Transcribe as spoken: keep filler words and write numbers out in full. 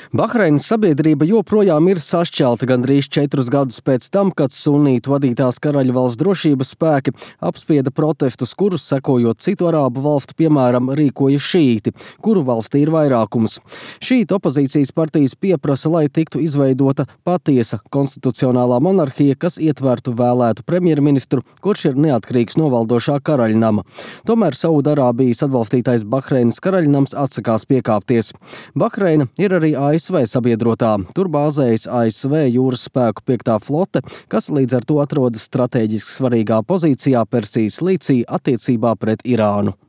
Bahreinas sabiedrība joprojām ir sašķelta gandrīz četrus gadus pēc tam, kad sunītu vadītās karaļvalsts drošības spēki apspieda protestus, kurus sekojot citu arābu valstu, piemēram, rīkoja šīti, kuru valstī ir vairākums. Šītu opozīcijas partijas pieprasa, lai tiktu izveidota patiesa konstitucionālā monarhija, kas ietvertu vēlētu premjerministru, kurš ir neatkarīgs no valdošā karaļnama. Tomēr Saudarābijas atbalstītais Bahreinas karaļnams atsakās piekāpties. Bahreina ir arī A S V sabiedrotā. Tur bāzējas A S V jūras spēku piektā flote, kas līdz ar to atrodas strateģiski svarīgā pozīcijā Persijas līcī attiecībā pret Irānu.